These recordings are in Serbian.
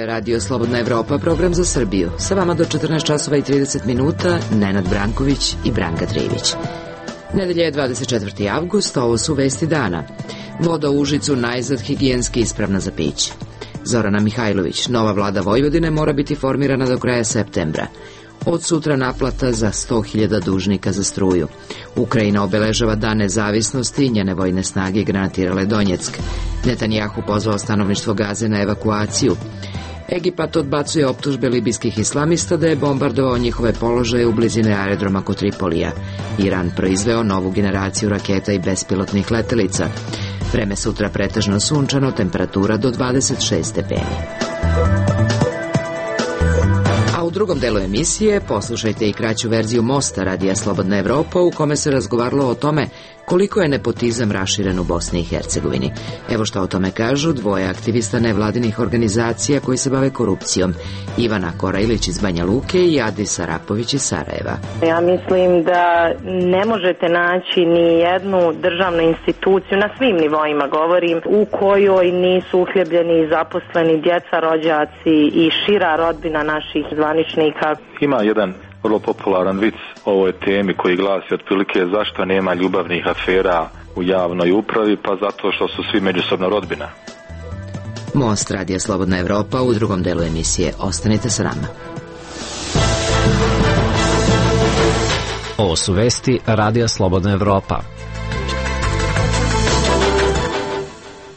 je Radio Slobodna Evropa, program za Srbiju. Sa vama do 14 časova i 30 minuta Nenad Branković i Branka Trivić. Nedelja je 24. avgust, ovo su vesti dana. Voda u Užicu najzad higijenski ispravna za piće. Zorana Mihajlović, nova vlada Vojvodine mora biti formirana do kraja septembra. Od sutra naplata za 100.000 dužnika za struju. Ukrajina obeležava dan nezavisnosti i njene vojne snage granatirale Donjeck. Netanjahu pozvao stanovništvo Gaze na evakuaciju. Egipat odbacuje optužbe libijskih islamista da je bombardovao njihove položaje u blizini aerodroma kod Tripolija. Iran proizveo novu generaciju raketa i bespilotnih letelica. Vreme sutra pretežno sunčano, temperatura do 26 stepeni. U drugom delu emisije poslušajte i kraću verziju Mosta Radija Slobodna Evropa u kome se razgovaralo o tome koliko je nepotizam raširen u Bosni i Hercegovini. Evo što o tome kažu dvoje aktivista nevladinih organizacija koji se bave korupcijom. Ivana Korajlić iz Banja Luke i Adis Arapović iz Sarajeva. Ja mislim da ne možete naći ni jednu državnu instituciju, na svim nivoima govorim, u kojoj nisu uhljebljeni zaposleni djeca, rođaci i šira rodbina naših zvaničnika. Ima jedan vrlo popularan vic o ovoj temi koji glasi otprilike zašto nema ljubavnih afera u javnoj upravi, pa zato što su svi međusobno rodbina. Most Radija Slobodna Evropa u drugom delu emisije. Ostanite sa nama. Ovo su vesti Radija Slobodna Evropa.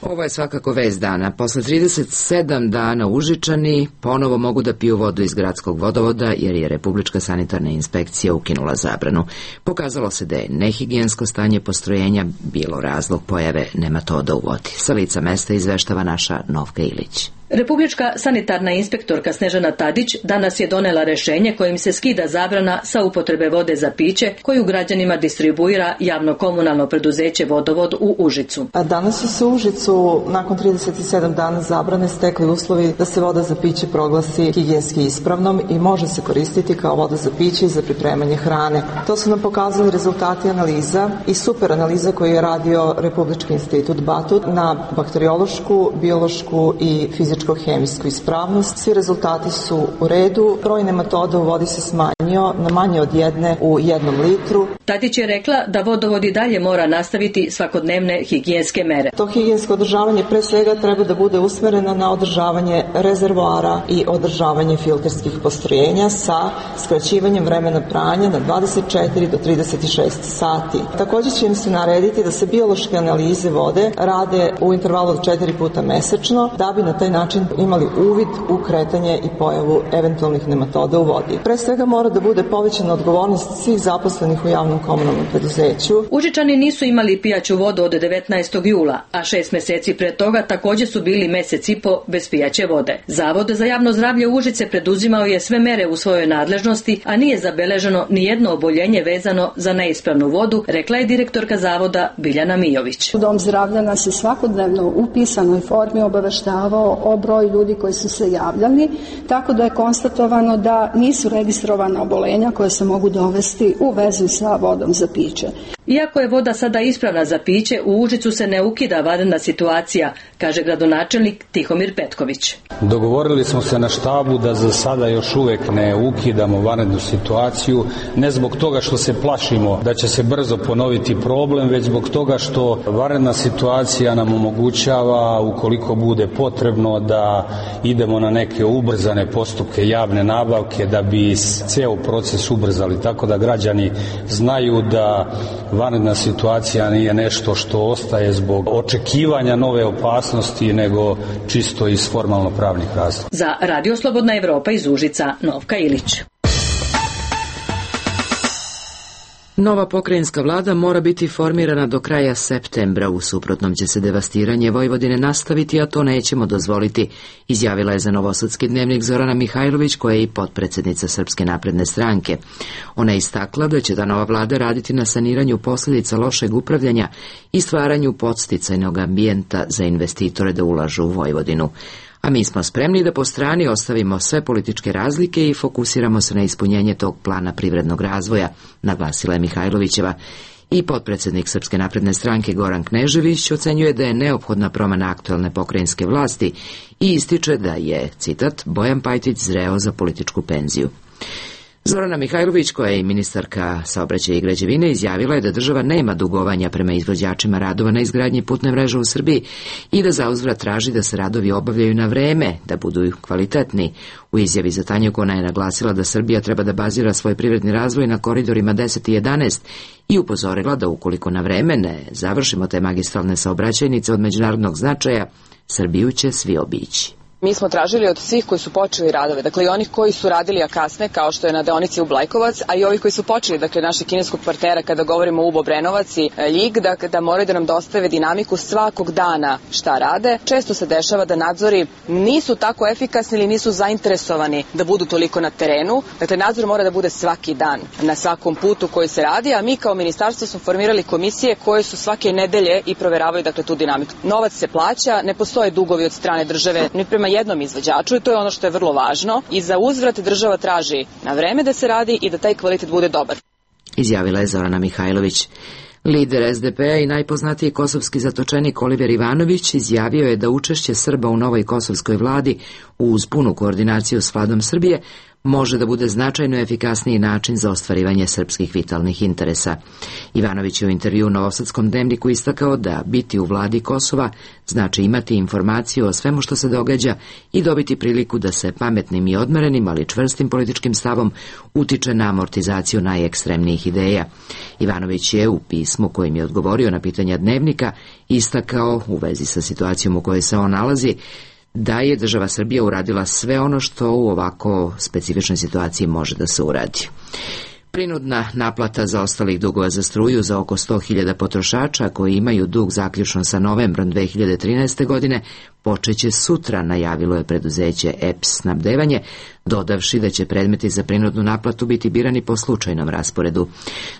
Ovo je svakako vest dana. Posle 37 dana Užičani ponovo mogu da piju vodu iz gradskog vodovoda jer je Republička sanitarna inspekcija ukinula zabranu. Pokazalo se da je nehigijensko stanje postrojenja bilo razlog pojave nematoda u vodi. Sa lica mesta izveštava naša Novka Ilić. Republička sanitarna inspektorka Snežana Tadić danas je donela rešenje kojim se skida zabrana sa upotrebe vode za piće koju građanima distribuira javno komunalno preduzeće Vodovod u Užicu. Danas su se u Užicu nakon 37 dana zabrane stekli uslovi da se voda za piće proglasi higijenski ispravnom i može se koristiti kao voda za piće i za pripremanje hrane. To su nam pokazali rezultati analiza i super analiza koju je radio Republički institut Batut na bakteriološku, biološku i fizičko-hemijsku ispravnost. Svi rezultati su u redu. Broj nematoda u vodi se smanjio na manje od 1 u 1 litru. Tadić je rekla da vodovod i dalje mora nastaviti svakodnevne higijenske mere. To higijensko održavanje pre svega treba da bude usmereno na održavanje rezervoara i održavanje filterskih postrojenja sa skraćivanjem vremena pranja na 24 do 36 sati. Također će im se narediti da se biološke analize vode rade u intervalu od 4 puta mesečno da bi na taj način imali uvid u kretanje i pojavu eventualnih nematoda u vodi. Pre svega mora da bude povećana odgovornost svih zaposlenih u javnom komunalnom preduzeću. Užičani nisu imali pijaću vodu od 19. jula, a 6 meseci pre toga također su bili mesec i po bez pijaće vode. Zavod za javno zdravlje Užice preduzimao je sve mere u svojoj nadležnosti, a nije zabeleženo ni jedno oboljenje vezano za neispravnu vodu, rekla je direktorka zavoda Biljana Mijović. Dom zdravlja nas je svakodnevno u pisanoj formi obaveštavao o broju ljudi koji su se javljali, tako da je konstatovano da nisu registrovana oboljenja koje se mogu dovesti u vezu sa vodom za piće. Iako je voda sada ispravna za piće, u Užicu se ne ukida vanredna situacija, kaže gradonačelnik Tihomir Petković. Dogovorili smo se na štabu da za sada još uvek ne ukidamo vanrednu situaciju, ne zbog toga što se plašimo da će se brzo ponoviti problem, već zbog toga što vanredna situacija nam omogućava, ukoliko bude potrebno, da idemo na neke ubrzane postupke javne nabavke da bi ceo proces ubrzali, tako da građani znaju da vanredna situacija nije nešto što ostaje zbog očekivanja nove opasnosti, nego čisto iz formalno-pravnih razloga. Za Radio Slobodna Evropa iz Užica, Novka Ilić. Nova pokrajinska vlada mora biti formirana do kraja septembra, u suprotnom će se devastiranje Vojvodine nastaviti, a to nećemo dozvoliti, izjavila je za Novosadski dnevnik Zorana Mihajlović, koja je i potpredsjednica Srpske napredne stranke. Ona je istakla da će ta nova vlada raditi na saniranju posljedica lošeg upravljanja i stvaranju podsticajnog ambijenta za investitore da ulažu u Vojvodinu. A mi smo spremni da po strani ostavimo sve političke razlike i fokusiramo se na ispunjenje tog plana privrednog razvoja, naglasila je Mihajlovićeva. I potpredsednik Srpske napredne stranke Goran Knežević ocenjuje da je neophodna promena aktuelne pokrajinske vlasti i ističe da je, citat, Bojan Pajtić zreo za političku penziju. Zorana Mihajlović, koja je i ministarka saobraćaja i građevine, izjavila je da država nema dugovanja prema izvođačima radova na izgradnji putne mreže u Srbiji i da zauzvrat traži da se radovi obavljaju na vreme, da budu kvalitetni. U izjavi za Tanjug ona je naglasila da Srbija treba da bazira svoj privredni razvoj na koridorima 10 i 11 i upozorila da ukoliko na vreme ne završimo te magistralne saobraćajnice od međunarodnog značaja, Srbiju će svi obići. Mi smo tražili od svih koji su počeli radove, dakle i onih koji su radili a kasne, kao što je na deonici u Blajkovac, a i ovi koji su počeli, dakle našeg kineskog partnera kada govorimo Ubo Brenovac i Ljig, da moraju da nam dostave dinamiku svakog dana šta rade. Često se dešava da nadzori nisu tako efikasni ili nisu zainteresovani da budu toliko na terenu. Dakle, nadzor mora da bude svaki dan na svakom putu koji se radi, a mi kao ministarstvo smo formirali komisije koje su svake nedelje i proveravaju dakle tu dinamiku. Novac se plaća, ne postoje dugovi od strane države ni prema jednom izvođaču i to je ono što je vrlo važno i za uzvrat država traži na vreme da se radi i da taj kvalitet bude dobar. Izjavila je Zorana Mihajlović. Lider SDP-a i najpoznatiji kosovski zatočenik Oliver Ivanović izjavio je da učešće Srba u novoj kosovskoj vladi uz punu koordinaciju s vladom Srbije može da bude značajno efikasniji način za ostvarivanje srpskih vitalnih interesa. Ivanović je u intervju u Novosadskom dnevniku istakao da biti u vladi Kosova znači imati informaciju o svemu što se događa i dobiti priliku da se pametnim i odmerenim, ali čvrstim političkim stavom utiče na amortizaciju najekstremnijih ideja. Ivanović je u pismu kojim je odgovorio na pitanja dnevnika istakao u vezi sa situacijom u kojoj se on nalazi da je država Srbija uradila sve ono što u ovako specifičnoj situaciji može da se uradi. Prinudna naplata zaostalih dugova za struju za oko 100.000 potrošača koji imaju dug zaključno sa novembrom 2013. godine počeće sutra, najavilo je preduzeće EPS snabdevanje, dodavši da će predmeti za prinudnu naplatu biti birani po slučajnom rasporedu.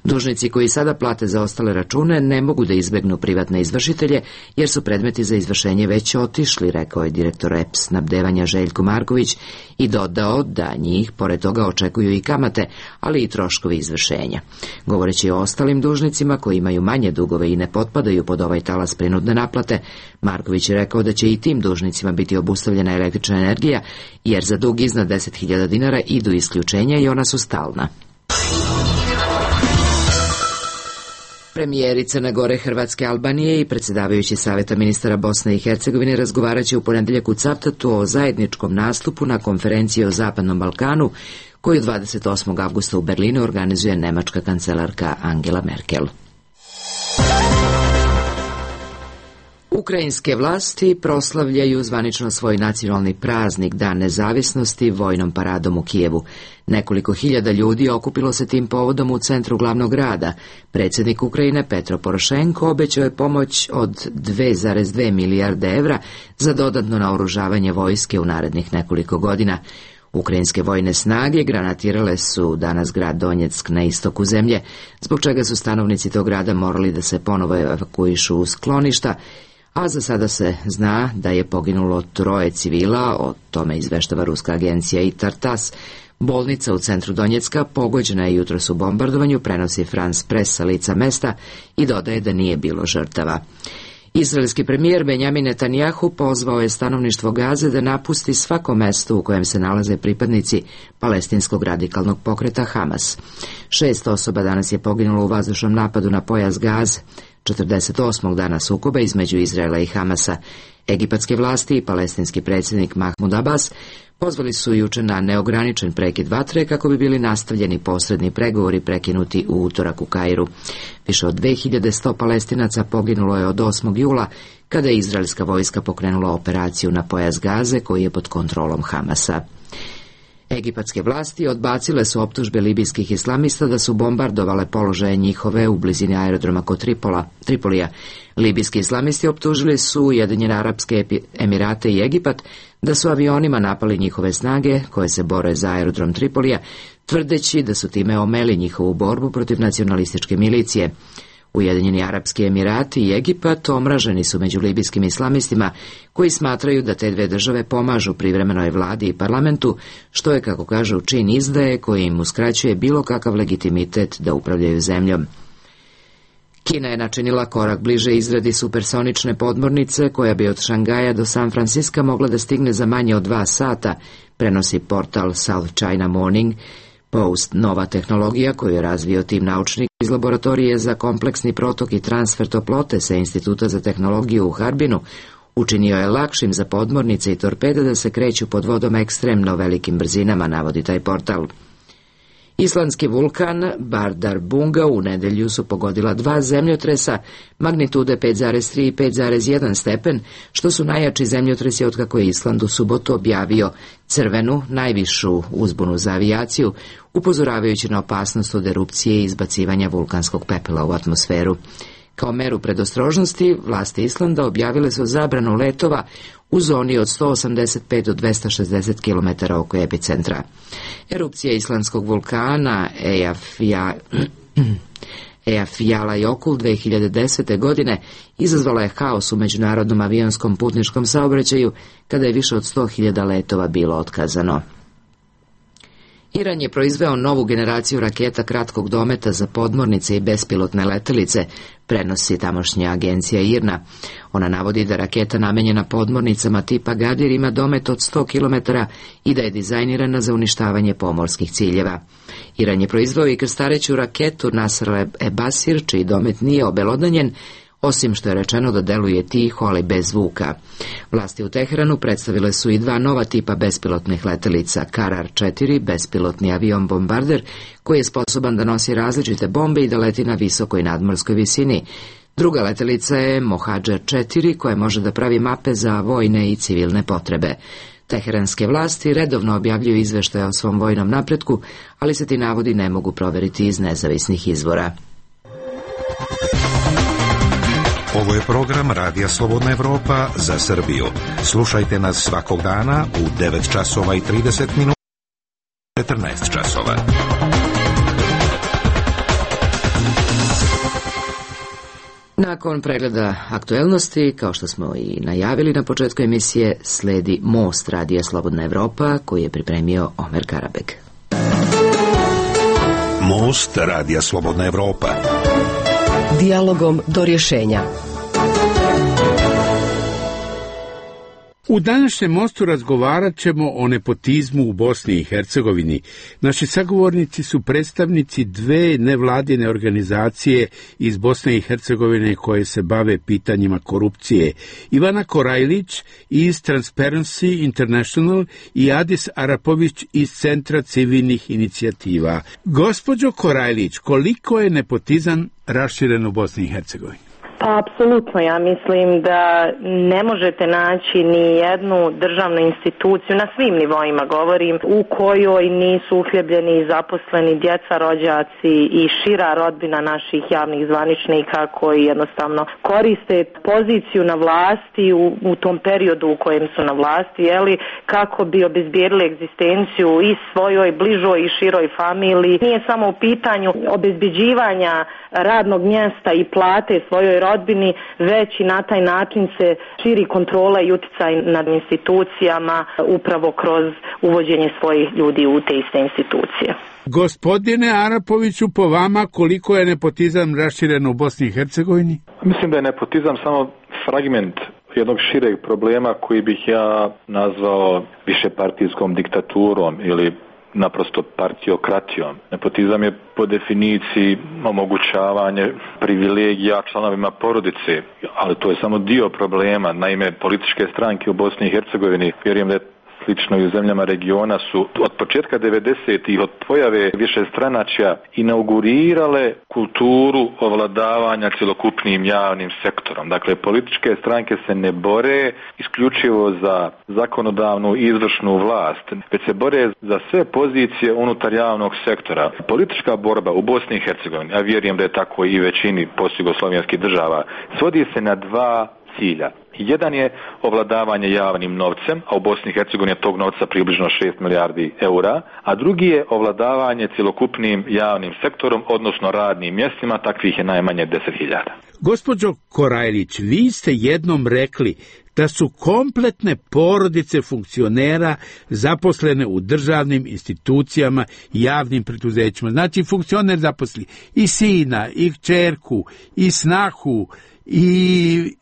Dužnici koji sada plate za ostale račune ne mogu da izbegnu privatne izvršitelje jer su predmeti za izvršenje već otišli, rekao je direktor EPS snabdevanja Željko Marković i dodao da njih pored toga očekuju i kamate, ali i troškovi izvršenja. Govoreći o ostalim dužnicima koji imaju manje dugove i ne potpadaju pod ovaj talas prinudne naplate, Marković je rekao da će i tim dužnicima biti obustavljena električna energija, jer za dug iznad 10.000 dinara idu isključenja i ona su stalna. Premijeri Crne Gore, Hrvatske, Albanije i predsjedavajući Saveta ministara Bosne i Hercegovine razgovaraće u ponedeljak u Cavtatu o zajedničkom nastupu na konferenciji o Zapadnom Balkanu, koju 28. avgusta u Berlinu organizuje nemačka kancelarka Angela Merkel. Ukrajinske vlasti proslavljaju zvanično svoj nacionalni praznik Dan nezavisnosti vojnom paradom u Kijevu. Nekoliko hiljada ljudi okupilo se tim povodom u centru glavnog grada. Predsjednik Ukrajine Petro Porošenko obećao je pomoć od 2,2 milijarde evra za dodatno naoružavanje vojske u narednih nekoliko godina. Ukrajinske vojne snage granatirale su danas grad Donjeck na istoku zemlje, zbog čega su stanovnici tog grada morali da se ponovo evakuišu u skloništa, a za sada se zna da je poginulo 3 civila, o tome izveštava ruska agencija ITAR-TASS. Bolnica u centru Donjecka pogođena je jutros u bombardovanju, prenosi France Press sa lica mesta i dodaje da nije bilo žrtava. Izraelski premijer Benjamin Netanjahu pozvao je stanovništvo Gaze da napusti svako mesto u kojem se nalaze pripadnici palestinskog radikalnog pokreta Hamas. 6 osoba danas je poginulo u vazdušnom napadu na pojas Gaze, 48. dana sukoba između Izraela i Hamasa. Egipatske vlasti i palestinski predsjednik Mahmud Abbas pozvali su juče na neograničen prekid vatre kako bi bili nastavljeni posredni pregovori prekinuti u utorak u Kairu. Više od 2100 Palestinaca poginulo je od 8. jula kada je izraelska vojska pokrenula operaciju na pojas Gaze koji je pod kontrolom Hamasa. Egipatske vlasti odbacile su optužbe libijskih islamista da su bombardovale položaje njihove u blizini aerodroma kod Tripolija. Libijski islamisti optužili su Ujedinjene Arapske Emirate i Egipat da su avionima napali njihove snage koje se bore za aerodrom Tripolija, tvrdeći da su time omeli njihovu borbu protiv nacionalističke milicije. Ujedinjeni Arapski Emirati i Egipat omraženi su među libijskim islamistima koji smatraju da te dve države pomažu privremenoj vladi i parlamentu, što je, kako kažu, čin izdaje koji im uskraćuje bilo kakav legitimitet da upravljaju zemljom. Kina je načinila korak bliže izradi supersonične podmornice koja bi od Šangaja do San Franciska mogla da stigne za manje od 2 sata, prenosi portal South China Morning Post. Nova tehnologija koju je razvio tim naučnika iz laboratorije za kompleksni protok i transfer toplote sa Instituta za tehnologiju u Harbinu učinio je lakšim za podmornice i torpede da se kreću pod vodom ekstremno velikim brzinama, navodi taj portal. Islandski vulkan Bardarbunga u nedelju su pogodila 2 zemljotresa magnitude 5,3 i 5,1 stepen, što su najjači zemljotresi otkako je Island u subotu objavio crvenu, najvišu uzbunu za avijaciju, upozoravajući na opasnost od erupcije i izbacivanja vulkanskog pepela u atmosferu. Kao meru predostrožnosti, vlasti Islanda objavile su zabranu letova u zoni od 185 do 260 km oko epicentra. Erupcija islandskog vulkana Eyjafjallajökull 2010. godine izazvala je haos u međunarodnom avionskom putničkom saobraćaju kada je više od 100.000 letova bilo otkazano. Iran je proizveo novu generaciju raketa kratkog dometa za podmornice i bespilotne letelice, prenosi tamošnja agencija IRNA. Ona navodi da raketa namenjena podmornicama tipa Gadir ima domet od 100 km i da je dizajnirana za uništavanje pomorskih ciljeva. Iran je proizveo i krstareću raketu Nasr-e-Basir, čiji domet nije obelodanjen, osim što je rečeno da deluje tiho, ali bez zvuka. Vlasti u Teheranu predstavile su i 2 nova tipa bespilotnih letelica, Karar-4, bespilotni avion bombarder, koji je sposoban da nosi različite bombe i da leti na visokoj nadmorskoj visini. Druga letelica je Mohadžer-4, koja može da pravi mape za vojne i civilne potrebe. Teheranske vlasti redovno objavljuju izveštaje o svom vojnom napretku, ali se ti navodi ne mogu proveriti iz nezavisnih izvora. Ovo je program Radija Slobodna Evropa za Srbiju. Slušajte nas svakog dana u 9 časova i 30 minuta, 14 časova. Nakon pregleda aktuelnosti, kao što smo i najavili na početku emisije, sledi Most Radija Slobodna Evropa koji je pripremio Omer Karabek. Most Radija Slobodna Evropa. Dijalogom do rješenja. U današnjem mostu razgovarat ćemo o nepotizmu u Bosni i Hercegovini. Naši sagovornici su predstavnici 2 nevladine organizacije iz Bosne i Hercegovine koje se bave pitanjima korupcije. Ivana Korajlić iz Transparency International i Adis Arapović iz Centra civilnih inicijativa. Gospođo Korajlić, koliko je nepotizam raširen u Bosni i Hercegovini? Pa apsolutno, ja mislim da ne možete naći ni jednu državnu instituciju, na svim nivoima govorim, u kojoj nisu uhljebljeni zaposleni djeca, rođaci i šira rodbina naših javnih zvaničnika koji jednostavno koriste poziciju na vlasti u tom periodu u kojem su na vlasti, kako bi obezbijedili egzistenciju i svojoj bližoj i široj familiji. Nije samo u pitanju obezbeđivanja radnog mjesta i plate svojoj rodbini, već i na taj način se širi kontrola i utjecaj nad institucijama upravo kroz uvođenje svojih ljudi u te iste institucije. Gospodine Arapoviću, po vama koliko je nepotizam raširen u Bosni i Hercegovini? Mislim da je nepotizam samo fragment jednog šireg problema koji bih ja nazvao višepartijskom diktaturom ili naprosto partiokratijom. Nepotizam je po definiciji omogućavanje privilegija članovima porodice, ali to je samo dio problema. Naime, političke stranke u Bosni i Hercegovini, vjerujem da je slično i u zemljama regiona, su od početka 90-ih, od pojave višestranačja, inaugurirale kulturu ovladavanja cjelokupnim javnim sektorom. Dakle, političke stranke se ne bore isključivo za zakonodavnu i izvršnu vlast, već se bore za sve pozicije unutar javnog sektora. Politička borba u Bosni i Hercegovini, a vjerujem da je tako i većini postjugoslovenskih država, svodi se na 2 cilja. Jedan je ovladavanje javnim novcem, a u Bosni i Hercegovini je tog novca približno 6 milijardi eura, a drugi je ovladavanje cjelokupnim javnim sektorom, odnosno radnim mjestima, takvih je najmanje 10.000. Gospođo Korajlić, vi ste jednom rekli da su kompletne porodice funkcionera zaposlene u državnim institucijama i javnim preduzećima. Znači, funkcioner zaposli i sina, i kćerku, i snahu,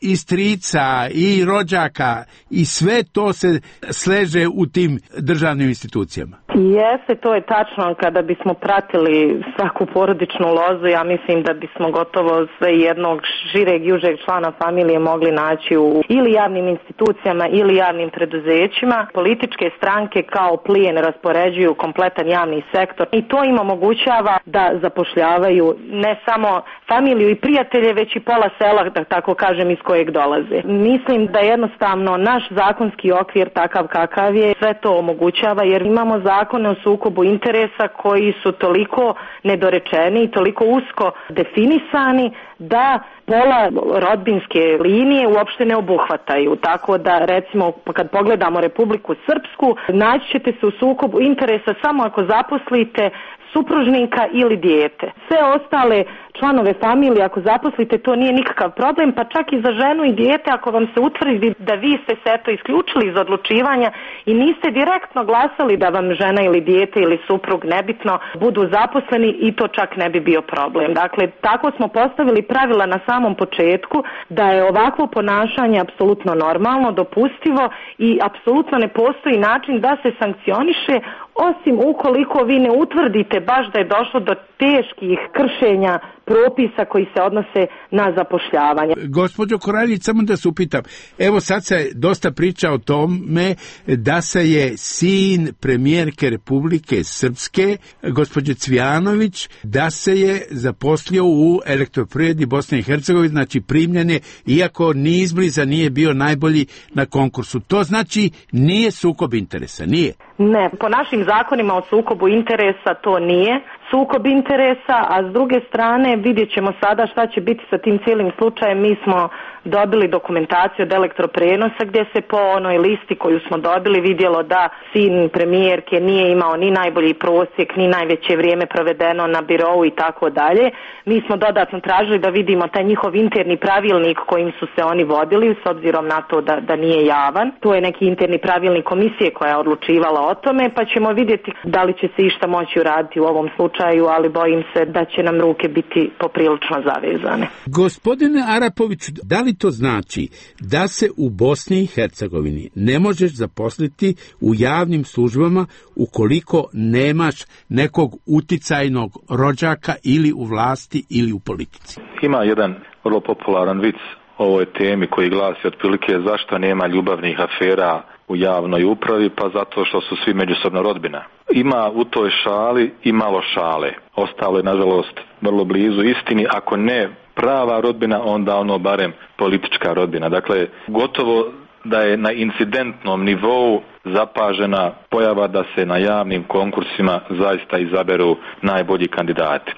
i strica, i rođaka, i sve to se sleže u tim državnim institucijama. Jeste, to je tačno. Kada bismo pratili svaku porodičnu lozu, ja mislim da bismo gotovo sve jednog šireg i užeg člana familije mogli naći u ili javnim institucijama ili javnim preduzećima. Političke stranke kao plijen raspoređuju kompletan javni sektor i to im omogućava da zapošljavaju ne samo familiju i prijatelje, već i pola sela, da tako kažem, iz kojeg dolaze. Mislim da jednostavno naš zakonski okvir takav kakav je sve to omogućava, jer imamo zakone o sukobu interesa koji su toliko nedorečeni i toliko usko definisani da pola rodbinske linije uopšte ne obuhvataju. Tako da, recimo, kad pogledamo Republiku Srpsku, naći ćete se u sukobu interesa samo ako zaposlite supružnika ili dijete. Sve ostale članove familije, ako zaposlite, to nije nikakav problem, pa čak i za ženu i dijete, ako vam se utvrdi da vi ste se eto isključili iz odlučivanja i niste direktno glasali da vam žena ili dijete ili suprug, nebitno, budu zaposleni, i to čak ne bi bio problem. Dakle, tako smo postavili pravila na samom početku da je ovakvo ponašanje apsolutno normalno, dopustivo i apsolutno ne postoji način da se sankcioniše, osim ukoliko vi ne utvrdite baš da je došlo do teških kršenja propisa koji se odnose na zapošljavanje. Gospođo Korajlić, samo da se upitam, evo sad se dosta priča o tome da se je sin premijerke Republike Srpske, gospođe Cvijanović, da se je zaposlio u Elektroprivredi Bosne i Hercegovine, znači primljen je, iako ni izbliza nije bio najbolji na konkursu. To znači nije sukob interesa, nije? Ne, po našim zakonima o sukobu interesa to nije sukob interesa, a s druge strane vidjet ćemo sada šta će biti sa tim cijelim slučajem. Mi smo dobili dokumentaciju od Elektroprenosa gdje se po onoj listi koju smo dobili vidjelo da sin premijerke nije imao ni najbolji prosjek, ni najveće vrijeme provedeno na birou i tako dalje. Mi smo dodatno tražili da vidimo taj njihov interni pravilnik kojim su se oni vodili, s obzirom na to da nije javan. To je neki interni pravilnik komisije koja je odlučivala o tome, pa ćemo vidjeti da li će se išta moći uraditi u ovom slučaju, ali bojim se da će nam ruke biti poprilično zavezane. Gospodine Arapoviću, da li to znači da se u Bosni i Hercegovini ne možeš zaposliti u javnim službama ukoliko nemaš nekog uticajnog rođaka ili u vlasti ili u politici? Ima jedan vrlo popularan vic o ovoj temi koji glasi otprilike zašto nema ljubavnih afera u javnoj upravi, pa zato što su svi međusobno rodbina. Ima u toj šali i malo šale. Ostalo je, nažalost, vrlo blizu istini, ako ne prava rodbina, onda ono barem politička rodbina. Dakle, gotovo da je na incidentnom nivou zapažena pojava da se na javnim konkursima zaista izaberu najbolji kandidati.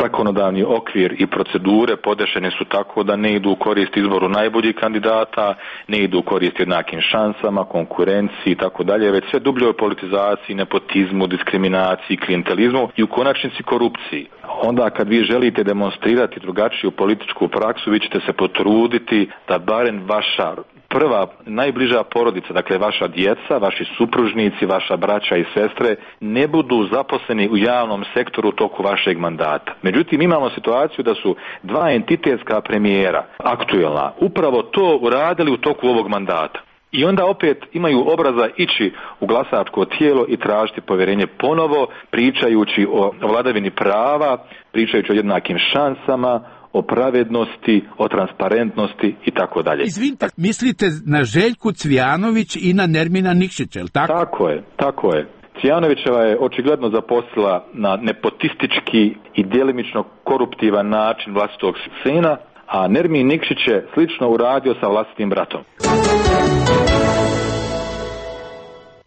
Zakonodavni okvir i procedure podešene su tako da ne idu u korist izboru najboljih kandidata, ne idu u korist jednakim šansama, konkurenciji i tako dalje, već sve dubljoj politizaciji, nepotizmu, diskriminaciji, klijentelizmu i u konačnici korupciji. Onda kad vi želite demonstrirati drugačiju političku praksu, vi ćete se potruditi da barem vaša prva, najbliža porodica, dakle vaša djeca, vaši supružnici, vaša braća i sestre, ne budu zaposleni u javnom sektoru u toku vašeg mandata. Međutim, imamo situaciju da su dva entitetska premijera, aktuelna, upravo to uradili u toku ovog mandata. I onda opet imaju obraza ići u glasačko tijelo i tražiti povjerenje ponovo, pričajući o vladavini prava, pričajući o jednakim šansama, o pravednosti, o transparentnosti i tako dalje. Izvinite, mislite na Željku Cvijanović i na Nermina Nikšića, je li tako? Tako je. Cvijanovićeva je očigledno zaposlila na nepotistički i djelimično koruptivan način vlastitog sina, a Nermin Nikšić je slično uradio sa vlastitim bratom.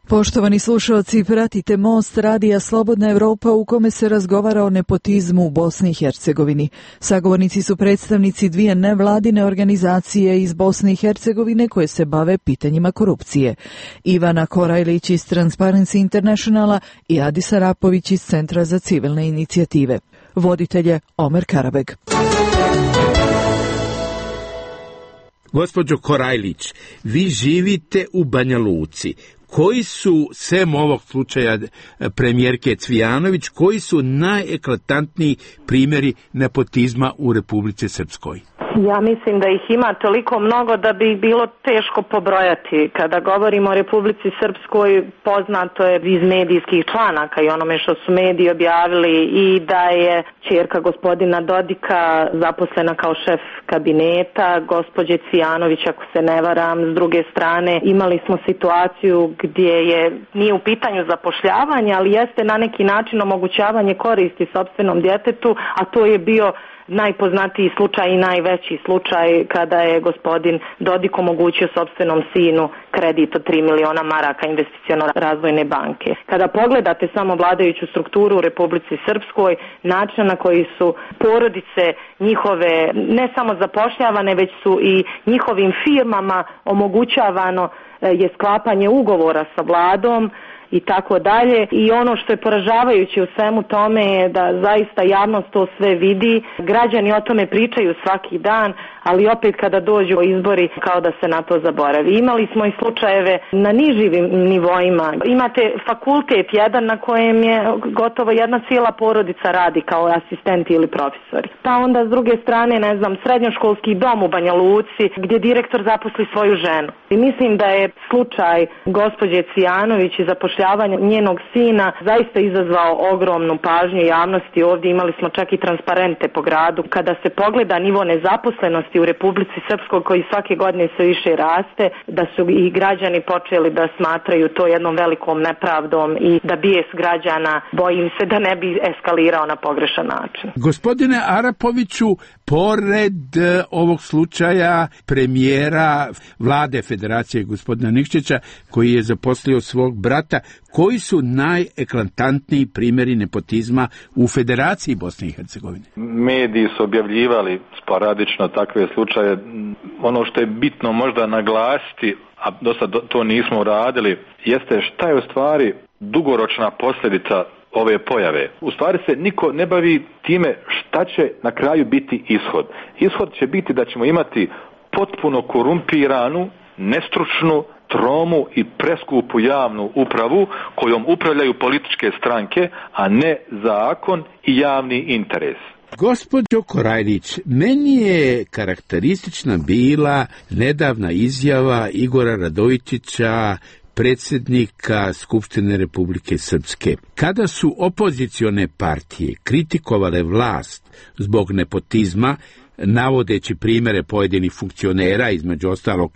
Poštovani slušalci, pratite Most radija Slobodna Evropa u kome se razgovara o nepotizmu u Bosni i Hercegovini. Sagovornici su predstavnici dvije nevladine organizacije iz Bosne i Hercegovine koje se bave pitanjima korupcije. Ivana Korajlić iz Transparency Internationala i Adis Arapović iz Centra za civilne inicijative. Voditelj je Omer Karabeg. Gospođo Korajlić, vi živite u Banja Luci. Koji su, sem ovog slučaja premijerke Cvijanović, koji su najeklatantniji primjeri nepotizma u Republici Srpskoj? Ja mislim da ih ima toliko mnogo da bi bilo teško pobrojati. Kada govorimo o Republici Srpskoj, poznato je iz medijskih članaka i onome što su mediji objavili i da je ćerka gospodina Dodika zaposlena kao šef kabineta, gospođe Cvijanović, ako se ne varam. S druge strane, imali smo situaciju gdje nije u pitanju zapošljavanje, ali jeste na neki način omogućavanje koristi sopstvenom djetetu, a to je bio najpoznatiji slučaj i najveći slučaj kada je gospodin Dodik omogućio sopstvenom sinu kredit od 3 miliona maraka investiciono-razvojne banke. Kada pogledate samo vladajuću strukturu u Republici Srpskoj, način na koji su porodice njihove ne samo zapošljavane, već su i njihovim firmama omogućavano je sklapanje ugovora sa vladom i tako dalje. I ono što je poražavajuće u svemu tome je da zaista javnost to sve vidi. Građani o tome pričaju svaki dan, ali opet kada dođu izbori kao da se na to zaboravi. Imali smo i slučajeve na nižim nivoima. Imate fakultet jedan na kojem je gotovo jedna cijela porodica radi kao asistenti ili profesori. Pa onda s druge strane, srednjoškolski dom u Banja Luci gdje direktor zaposli svoju ženu. I mislim da je slučaj gospođe Cvijanović i zapošljavanja njenog sina zaista izazvao ogromnu pažnju javnosti. Ovdje imali smo čak i transparente po gradu. Kada se pogleda nivo nezaposlenosti u Republici Srpskoj koji svake godine sve više raste, da su i građani počeli da smatraju to jednom velikom nepravdom i da bijes građana, bojim se da ne bi eskalirao na pogrešan način. Gospodine Arapoviću, pored ovog slučaja premijera vlade Federacije gospodina Nikšića koji je zaposlio svog brata, koji su najeklatantniji primjeri nepotizma u Federaciji Bosne i Hercegovine? Mediji su objavljivali sporadično takve slučaje. Ono što je bitno možda naglasiti, a dosta to nismo uradili, jeste šta je u stvari dugoročna posljedica ove pojave. U stvari se niko ne bavi time šta će na kraju biti ishod. Ishod će biti da ćemo imati potpuno korumpiranu, nestručnu, tromu i preskupu javnu upravu kojom upravljaju političke stranke, a ne zakon i javni interes. Gospođo Korajlić, meni je karakteristična bila nedavna izjava Igora Radojičića, predsjednika Skupštine Republike Srpske. Kada su opozicione partije kritikovale vlast zbog nepotizma, navodeći primjere pojedinih funkcionera, između ostalog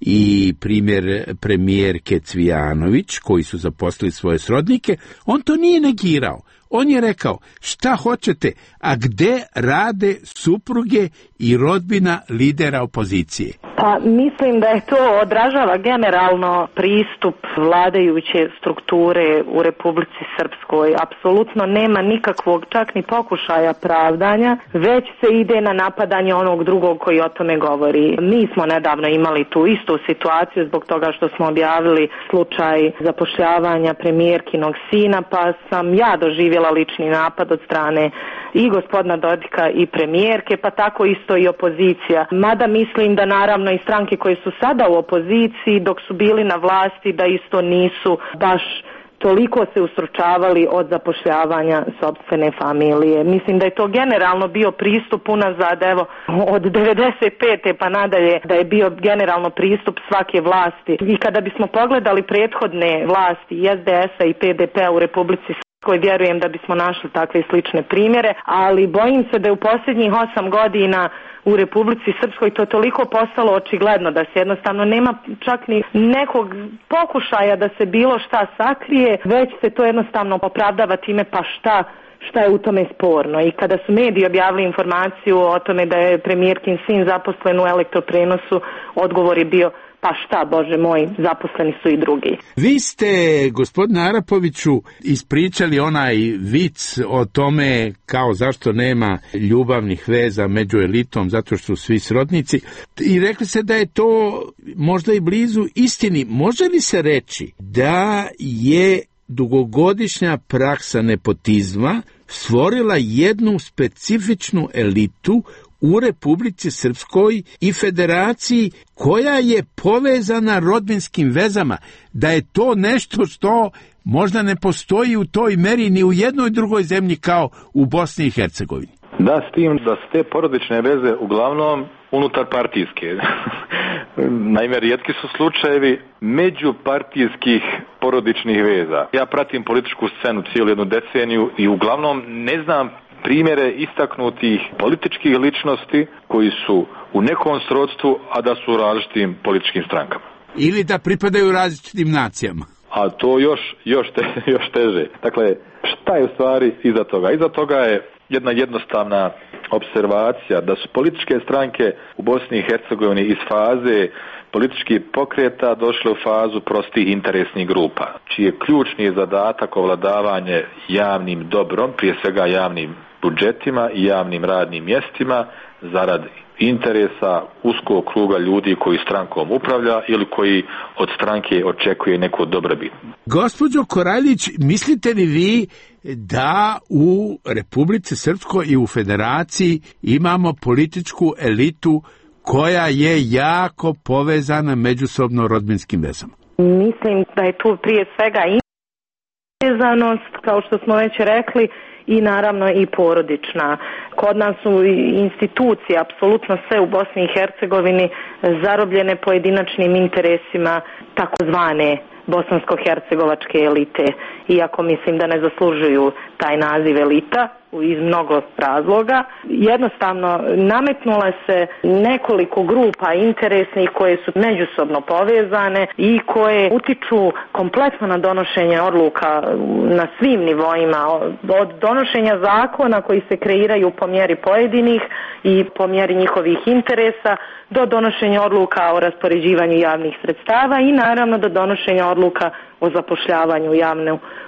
i primjer premijerke Cvijanović, koji su zaposlili svoje srodnike, on to nije negirao. On je rekao, šta hoćete, a gde rade supruge i rodbina lidera opozicije? Pa mislim da je to odražava generalno pristup vladajuće strukture u Republici Srpskoj. Apsolutno nema nikakvog čak ni pokušaja pravdanja, već se ide na napadanje onog drugog koji o tome govori. Mi smo nedavno imali tu istu situaciju zbog toga što smo objavili slučaj zapošljavanja premijerkinog sina, pa sam ja doživjela lični napad od strane i gospodina Dodika i premijerke, pa tako isto i opozicija. Mada mislim da naravno i stranke koje su sada u opoziciji dok su bili na vlasti da isto nisu baš toliko se ustručavali od zapošljavanja sopstvene familije. Mislim da je to generalno bio pristup unazad, evo, od 95. pa nadalje, da je bio generalno pristup svake vlasti. I kada bismo pogledali prethodne vlasti SDS-a i PDP-a u Republici Srpskoj, vjerujem da bismo našli takve slične primjere, ali bojim se da je u posljednjih 8 godina u Republici Srpskoj to toliko postalo očigledno da se jednostavno nema čak ni nekog pokušaja da se bilo šta sakrije, već se to jednostavno opravdava time pa šta je u tome sporno. I kada su mediji objavili informaciju o tome da je premijerkin sin zaposlen u elektroprenosu, odgovor je bio pa šta, Bože moj, zaposleni su i drugi. Vi ste, gospodine Arapoviću, ispričali onaj vic o tome kao zašto nema ljubavnih veza među elitom, zato što su svi srodnici, i rekli ste da je to možda i blizu istini. Može li se reći da je dugogodišnja praksa nepotizma stvorila jednu specifičnu elitu u Republici Srpskoj i Federaciji koja je povezana rodbinskim vezama, da je to nešto što možda ne postoji u toj meri ni u jednoj drugoj zemlji kao u Bosni i Hercegovini? Da, s tim da su te porodične veze uglavnom unutar partijske. Naime, rijetki su slučajevi međupartijskih porodičnih veza. Ja pratim političku scenu cijelu jednu deceniju i uglavnom ne znam primjere istaknutih političkih ličnosti koji su u nekom srodstvu, a da su u različitim političkim strankama. Ili da pripadaju različitim nacijama. A to još teže. Dakle, šta je u stvari iza toga? Iza toga je jedna jednostavna observacija da su političke stranke u Bosni i Hercegovini iz faze političkih pokreta došle u fazu prostih interesnih grupa, čiji je ključni zadatak ovladavanje javnim dobrom, prije svega javnim budžetima i javnim radnim mjestima zarad interesa uskog kruga ljudi koji strankom upravlja ili koji od stranke očekuje neku dobrobit. Gospođo Korajlić, mislite li vi da u Republici Srpskoj i u Federaciji imamo političku elitu koja je jako povezana međusobno rodbinskim vezama? Mislim da je tu prije svega povezanost, kao što smo već rekli, i naravno i porodična. Kod nas su institucije, apsolutno sve u Bosni i Hercegovini, zarobljene pojedinačnim interesima takozvane bosansko-hercegovačke elite, iako mislim da ne zaslužuju taj naziv elita iz mnogo razloga. Jednostavno nametnula se nekoliko grupa interesnih koje su međusobno povezane i koje utiču kompletno na donošenje odluka na svim nivoima, od donošenja zakona koji se kreiraju po mjeri pojedinih i po mjeri njihovih interesa, do donošenja odluka o raspoređivanju javnih sredstava i naravno do donošenja odluka o zapošljavanju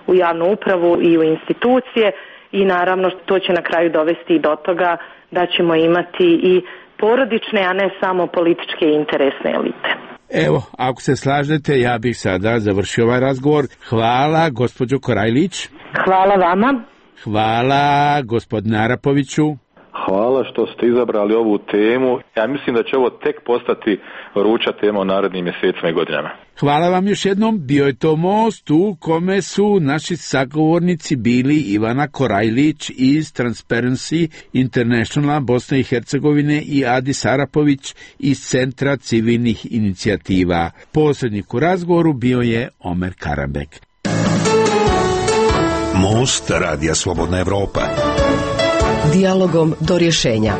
u javnu upravu i u institucije. I naravno to će na kraju dovesti i do toga da ćemo imati i porodične, a ne samo političke i interesne elite. Evo, ako se slažete, ja bih sada završio ovaj razgovor. Hvala, gospođo Korajlić. Hvala vama. Hvala, gospodine Arapoviću. Hvala što ste izabrali ovu temu. Ja mislim da će ovo tek postati vruća tema u narednim mjesecima i godinama. Hvala vam još jednom. Bio je to most u kome su naši sagovornici bili Ivana Korajlić iz Transparency Internationala Bosne i Hercegovine i Adis Arapović iz Centra civilnih inicijativa. Posrednik u razgovoru bio je Omer Karambek. Most Radija Slobodna Evropa. Dijalogom do rješenja.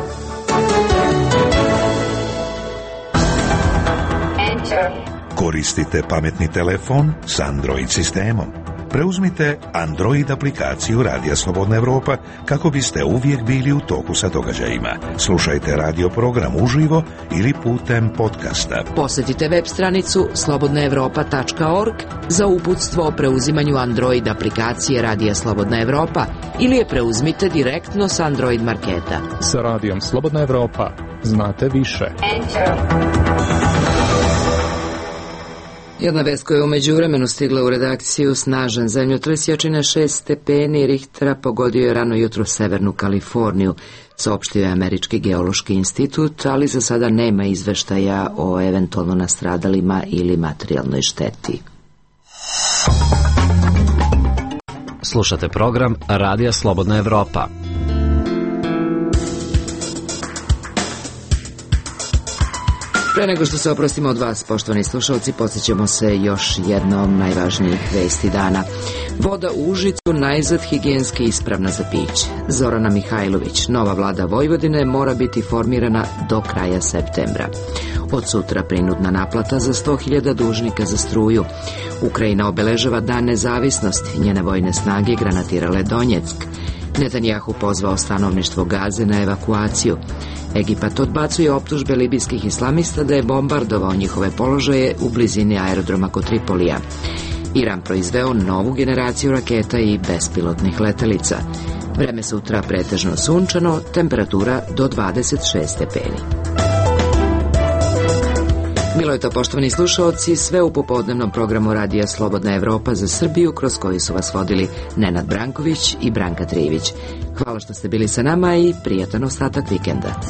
Koristite pametni telefon s Android sistemom. Preuzmite Android aplikaciju Radija Slobodna Evropa kako biste uvijek bili u toku sa događajima. Slušajte radio program uživo ili putem podcasta. Posjetite web stranicu slobodnaevropa.org za uputstvo o preuzimanju Android aplikacije Radija Slobodna Evropa ili je preuzmite direktno s Android marketa. Sa Radijom Slobodna Evropa znate više. Jedna vest koja je u međuvremenu stigla u redakciju: snažan zemljotres jačine 6 stepeni Richtera pogodio je rano jutro severnu Kaliforniju, saopštio je Američki geološki institut, ali za sada nema izveštaja o eventualno nastradalima ili materijalnoj šteti. Slušate program Radija Slobodna Evropa. Pre nego što se oprostimo od vas, poštovani slušalci, podsjećamo se još jednom najvažnijih vesti dana. Voda u Užicu najzad higijenski ispravna za piće. Zorana Mihajlović, nova vlada Vojvodine mora biti formirana do kraja septembra. Od sutra prinudna naplata za 100.000 dužnika za struju. Ukrajina obeležava dan nezavisnosti, njene vojne snage granatirale Donjeck. Netanjahu pozvao stanovništvo Gaze na evakuaciju. Egipat odbacuje optužbe libijskih islamista da je bombardovao njihove položaje u blizini aerodroma kod Tripolija. Iran proizveo novu generaciju raketa i bespilotnih letelica. Vreme sutra pretežno sunčano, temperatura do 26 stepeni. Bilo je to, poštovani slušaoci, sve u popodnevnom programu Radija Slobodna Evropa za Srbiju, kroz koji su vas vodili Nenad Branković i Branka Trijević. Hvala što ste bili sa nama i prijatan ostatak vikenda.